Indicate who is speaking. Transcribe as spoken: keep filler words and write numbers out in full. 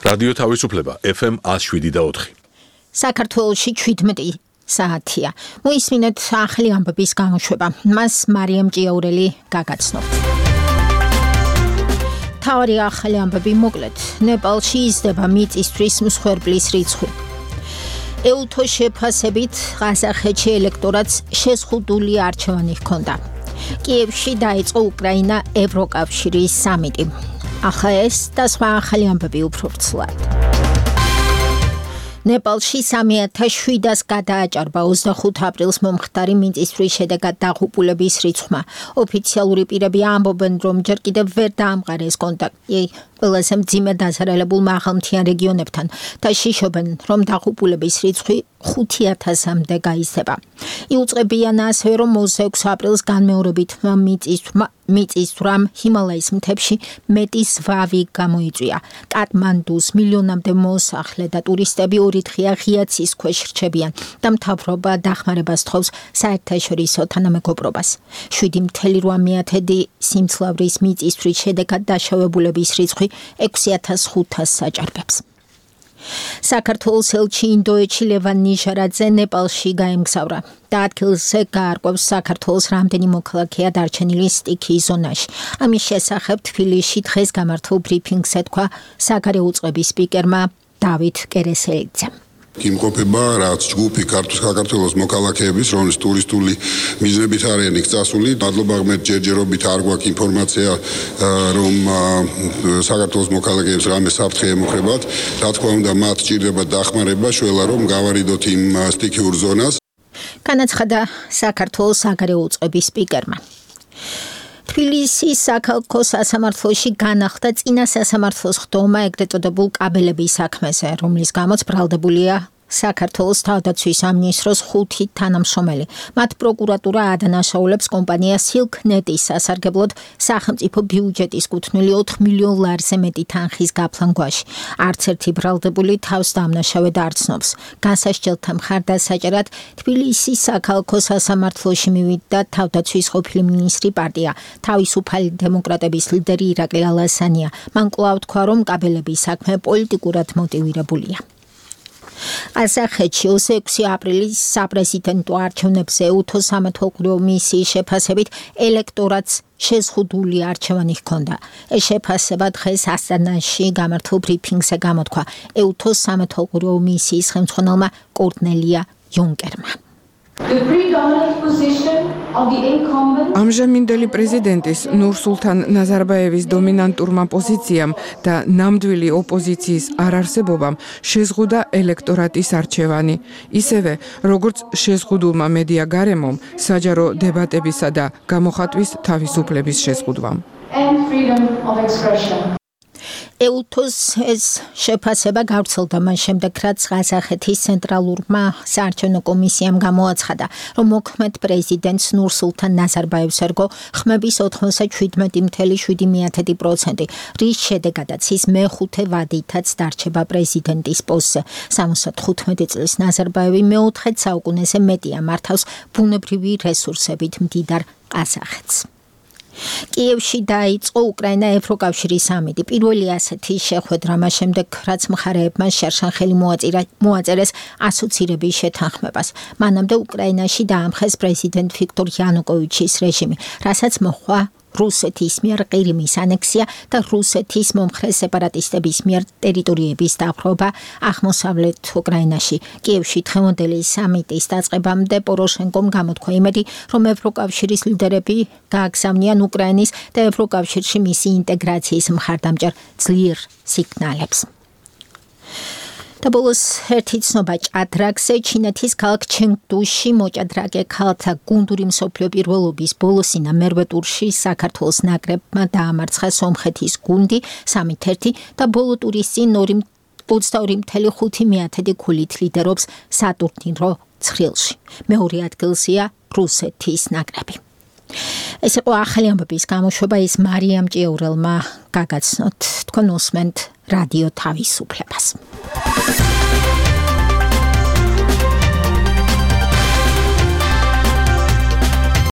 Speaker 1: რადიო თავისუფლება ეფ ემ one oh seven და four.
Speaker 2: საქართველოში შვიდმეტი საათია. მოისმინეთ ახალი ამბების გამოშვება. მას მარიამ ჭიაურელი გაგაცნობთ. თავი ახალი ამბები მოკლედ. ნეპალში იზრდება მიწისთვის მსხვერპლის რიცხვი. ეუთოს შეფასებით ყაზახეთში ელექტორატს შეზღუდული არჩევანი ჰქონდა. კიევში დაიწყო უკრაინა ევროკავშირის სამიტი. ახლა ეს და სხვა ახალი ამბები უფრო ვრცლად. ნეპალში სამი ათას შვიდას გადააჭარბა ოცდახუთ აპრილს მომხდარი მიწისძვრის შედეგად დაღუპულების რიცხვმა. ოფიციალური პირები ამბობენ, რომ ჯერ კიდევ ვერ დაამყარეს კონტაქტი ყველაზე მძიმე დაზარალებულ მაღალმთიან რეგიონებთან და შიშობენ, რომ დაღუპულების რიცხვი ხუთი ათასამდე გაიზრდება. იუწყებიან ასევე, რომ ოცდაექვსი აპრილს განმეორებით მიწისძვრამ ჰიმალაის მთებში მეტი ზვავი გამოიწვია. კატმანდუს მილიონამდე მოსახლე და ტურისტები ორი დღეა ღია ცის ქვეშ რჩებიან და მთავრობა დახმარებას თხოვს საერთაშორისო თანამეგობრობას. შვიდი ათეული რვა მეათედი სიმძლავრის მიწისძვრის შედეგად დაშავებულების რიცხვი ექვსი ათას ხუთას აჭარბებს. საქართველოს ელჩი ინდოეთში ლევან ნიჟარაძე ნეპალში გაემგზავრა და ადგილზე გაარკვევს საქართველოს რამდენი მოქალაქეა დარჩენილი სტიქიის ზონაში. ამის შესახებ თბილისში დღეს გამართულ ბრიფინგს ეთქვა საგარეო უწყების სპიკერმა დავით კერესელიძემ.
Speaker 3: იმყოფება რაც ჯგუფი საქართველოს მოქალაქეების, რომლის ტურისტული მიზნებით არიან იქ წასული. მადლობა ღმერთ ჯერჯერობით არ გვაქვს ინფორმაცია, რომ საქართველოს მოქალაქეებს რამე საფრთხე ემუქრებათ. რა თქმა უნდა, მათ სჭირდება დახმარება, შველა რომ გავარიდოთ იმ სტიქიურ ზონას.
Speaker 2: განაცხადა საქართველოს საგარეო უწყების სპიკერმა. თბილისის საქალაქო სასამართლოში განახლდა წინა სასამართლოს ხდომა ეგრეთ წოდებულ კაბელების საქმეზე, რომლის გამოც ბრალდებულია საქართველოს თავდაცვის სამინისტროს ხუთი თანამშრომელი. მათ პროკურატურა ადანაშაულებს კომპანია სილკნეტის სასარგებლოდ სახელმწიფო ბიუჯეტის კუთვნილი ოთხ მილიონ ლარზე მეტი თანხის გაფლან გვაში. არც ერთი ბრალდებული თავს დამნაშავედ არ ცნობს. განსასჯელთა მხარდასაჭერად თბილისის საქალაქო სასამართლოში მივიდა თავდაცვის ყოფილი მინისტრი პარტია თავისუფალი დემოკრატების ლიდერი ირაკლი ალასანია. მან კვლავ თქვა, რომ კაბელების საქმე პოლიტიკურად მოტივირებულია. ყაზახეთში ოცდაექვსი აპრილის საპრეზიდენტო არჩევნებზე ეუთოს სამეთვალყურეო მისიის შეფასებით ელექტორატს შეზღუდული არჩევანი ჰქონდა. ეს შეფასება დღეს ასტანაში გამართულ ბრიფინგზე გამოთქვა ეუთოს სამეთვალყურეო მისიის ხელმძღვანელმა კორნელია იუნკერმა.
Speaker 4: ამჟამინდელი პრეზიდენტის ნურსულთან ნაზარბაევის დომინანტურმა პოზიციამ და ნამდვილი ოპოზიციის არარსებობამ შეზღუდა ელექტორატის არჩევანი. ისევე, როგორც შეზღუდულმა მედია გარემომ საჯარო დებატებისა და გამოხატვის თავისუფლების შეზღუდვამ.
Speaker 2: ეუთოს ეს შეფასება გავრცელდა მან შემდეგ, რაც ყაზახეთის ცენტრალურმა საარჩევნო კომისიამ გამოაცხადა, რომ მოქმედ პრეზიდენტს ნურსულთან ნაზარბაევს ერგო ხმების ოთხმოცდაშვიდი ათეული შვიდი პროცენტი, რის შედეგადაც ის მეხუთე ვადითაც დარჩება პრეზიდენტის პოსტზე. სამოცდათხუთმეტი წლის ნაზარბაევი მეოთხე საუკუნეზე მეტია მართავს ბუნებრივი რესურსებით მდიდარ ყაზახეთს. კიევში დაიწყო უკრაინა ევროკავშირის სამიტი. პირველი ასეთი შეხვედრა მას შემდეგ, რაც მხარეებმა შერშან ხელი მოაწერეს ასოცირების შეთანხმებას. მანამდე უკრაინაში დაამხეს პრეზიდენტ ვიქტორ იანუკოვიჩის რეჟიმი, რასაც მოჰყვა რუსეთის მიერ ყირიმის ანექსია და რუსეთის მომხრე სეპარატისტების მიერ ტერიტორიების დაპყრობა აღმოსავლეთ უკრაინაში. კიევში დღევანდელი სამიტის დაწყებამდე პოროშენკომ გამოთქვა იმედი, რომ ევროკავშირის ლიდერები გააგზავნიან უკრაინის და ევროკავშირში მისი ინტეგრაციის მხარდამჭერ ძლიერ სიგნალებს. და ბოლოს ერთი ცნობა ჭადრაკზე. ჩინეთის ქალაქ ჩენგდუში მოჭადრაკე ქალთა გუნდური მსოფლიო პირველობის ბოლოსინა მერვე ტურში საქართველოს ნაკრებმა დაამარცხა სომხეთის გუნდი სამით ერთი და ბოლო ტურის წინ ოცდაორი ათეული ხუთი ქულით ლიდერობს სატურნირო ცხრილში. მეორე ადგილზეა რუსეთის ნაკრები. ეს იყო ახალი ამბების გამოშვება, ის მარიამ ჭიაურელმა გაგაცნოთ. თქვენ უსმენთ რადიო თავისუფლებას.